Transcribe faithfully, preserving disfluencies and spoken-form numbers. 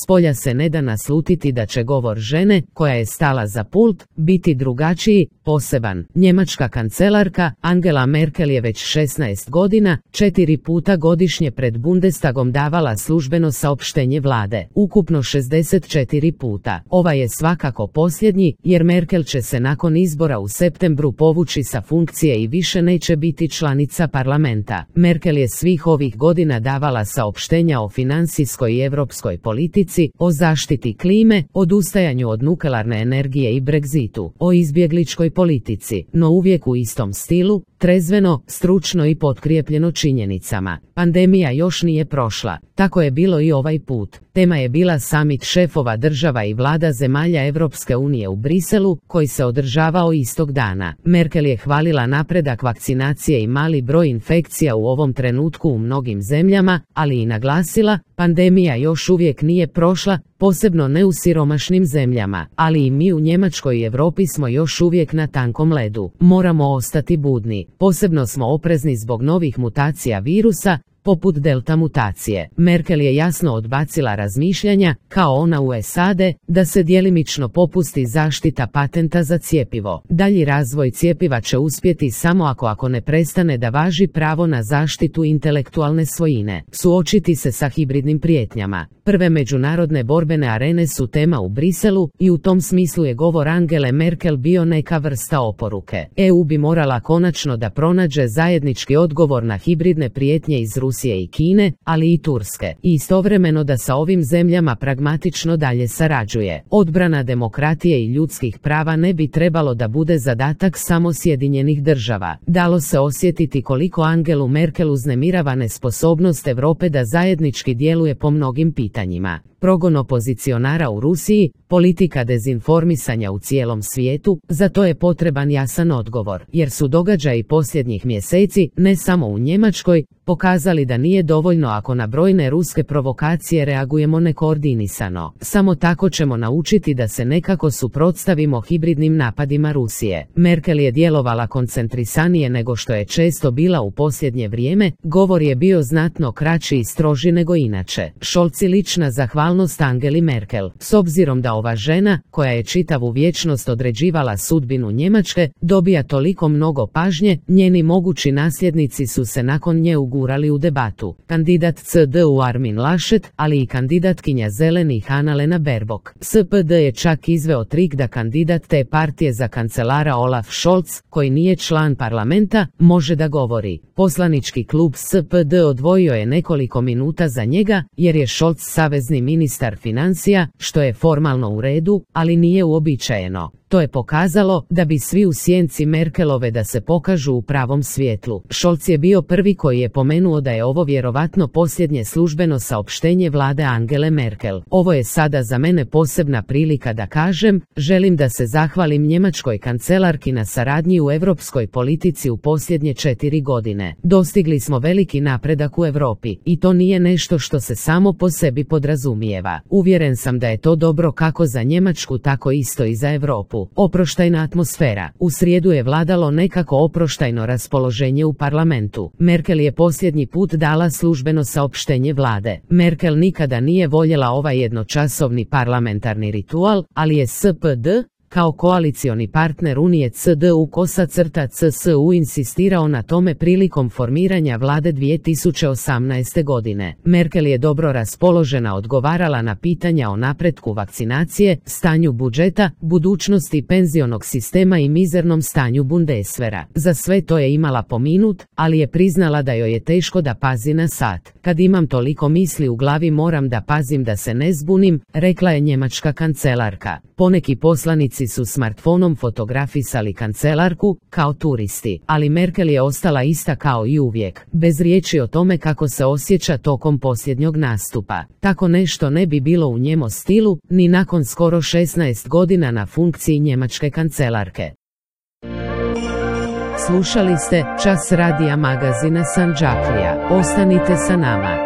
Spolja se ne da naslutiti da će govor žene, koja je stala za pult, biti drugačiji, poseban. Njemačka kancelarka Angela Merkel je već šesnaest godina, četiri puta godišnje pred Bundestagom davala službeno saopštenje vlade, ukupno šezdeset četiri puta. Ova je svakako posljednji, jer Merkel će se nakon izbora u septembru povući sa funkcije i više neće biti članica parlamenta. Merkel je svih ovih godina davala saopštenja o financijskoj i europskoj politici, o zaštiti klime, odustajanju od nuklearne energije i Brexitu, o izbjegličkoj politici, no uvijek u istom stilu, trezveno, stručno i potkrijepljeno činjenicama. Pandemija još nije prošla, tako je bilo i ovaj put. Tema je bila samit šefova država i vlada zemalja Europske unije u Briselu, koji se održavao istog dana. Merkel je hvalila napredak vakcinacije i mali broj infekcija u ovom trenutku u mnogim zemljama, ali i naglasila, pandemija još uvijek nije prošla, posebno ne u siromašnim zemljama, ali i mi u Njemačkoj i Europi smo još uvijek na tankom ledu. Moramo ostati budni. Posebno smo oprezni zbog novih mutacija virusa, poput delta mutacije. Merkel je jasno odbacila razmišljanja, kao ona u S A D, da se djelimično popusti zaštita patenta za cjepivo. Dalji razvoj cjepiva će uspjeti samo ako ako ne prestane da važi pravo na zaštitu intelektualne svojine. Suočiti se sa hibridnim prijetnjama. Prve međunarodne borbene arene su tema u Briselu i u tom smislu je govor Angele Merkel bio neka vrsta oporuke. E U bi morala konačno da pronađe zajednički odgovor na hibridne prijetnje iz Rusije i Kine, ali i Turske, i istovremeno da sa ovim zemljama pragmatično dalje sarađuje. Odbrana demokratije i ljudskih prava ne bi trebalo da bude zadatak samo Sjedinjenih država. Dalo se osjetiti koliko Angelu Merkel uznemirava nesposobnost Europe da zajednički djeluje po mnogim pitanjima. Progon opozicionara u Rusiji, politika dezinformisanja u cijelom svijetu, za to je potreban jasan odgovor, jer su događaji posljednjih mjeseci, ne samo u Njemačkoj, pokazali da nije dovoljno ako na brojne ruske provokacije reagujemo nekoordinisano. Samo tako ćemo naučiti da se nekako suprotstavimo hibridnim napadima Rusije. Merkel je djelovala koncentrisanije nego što je često bila u posljednje vrijeme, govor je bio znatno kraći i stroži nego inače. Scholz lična zahvalnost Angeli Merkel. S obzirom da ova žena, koja je čitavu vječnost određivala sudbinu Njemačke, dobija toliko mnogo pažnje, njeni mogući nasljednici su se nakon nje ugurali u debatu. Kandidat C D U Armin Laschet, ali i kandidatkinja zelenih Annalena Baerbock. S P D je čak izveo trik da kandidat te partije za kancelara Olaf Scholz, koji nije član parlamenta, može da govori. Poslanički klub S P D odvojio je nekoliko minuta za njega, jer je Scholz savezni ministar financija, što je formalno u redu, ali nije uobičajeno. To je pokazalo da bi svi u sjenci Merkelove da se pokažu u pravom svjetlu. Scholz je bio prvi koji je pomenuo da je ovo vjerovatno posljednje službeno saopštenje vlade Angele Merkel. Ovo je sada za mene posebna prilika da kažem, želim da se zahvalim njemačkoj kancelarki na saradnji u europskoj politici u posljednje četiri godine. Dostigli smo veliki napredak u Europi i to nije nešto što se samo po sebi podrazumijeva. Uvjeren sam da je to dobro kako za Njemačku tako isto i za Europu. Oproštajna atmosfera. U srijedu je vladalo nekako oproštajno raspoloženje u parlamentu. Merkel je posljednji put dala službeno saopštenje vlade. Merkel nikada nije voljela ovaj jednočasovni parlamentarni ritual, ali je S P D, kao koalicioni partner Unije C D U kosa crta C S U insistirao na tome prilikom formiranja vlade dvije tisuće osamnaeste. godine. Merkel je dobro raspoložena odgovarala na pitanja o napretku vakcinacije, stanju budžeta, budućnosti penzionog sistema i mizernom stanju Bundeswehra. Za sve to je imala po minut, ali je priznala da joj je teško da pazi na sat. Kad imam toliko misli u glavi moram da pazim da se ne zbunim, rekla je njemačka kancelarka. Poneki poslanici su smartfonom fotografisali kancelarku, kao turisti, ali Merkel je ostala ista kao i uvijek, bez riječi o tome kako se osjeća tokom posljednjog nastupa. Tako nešto ne bi bilo u njemo stilu, ni nakon skoro šesnaest godina na funkciji njemačke kancelarke. Slušali ste Čas radija magazina Sandžaklija. Ostanite sa nama.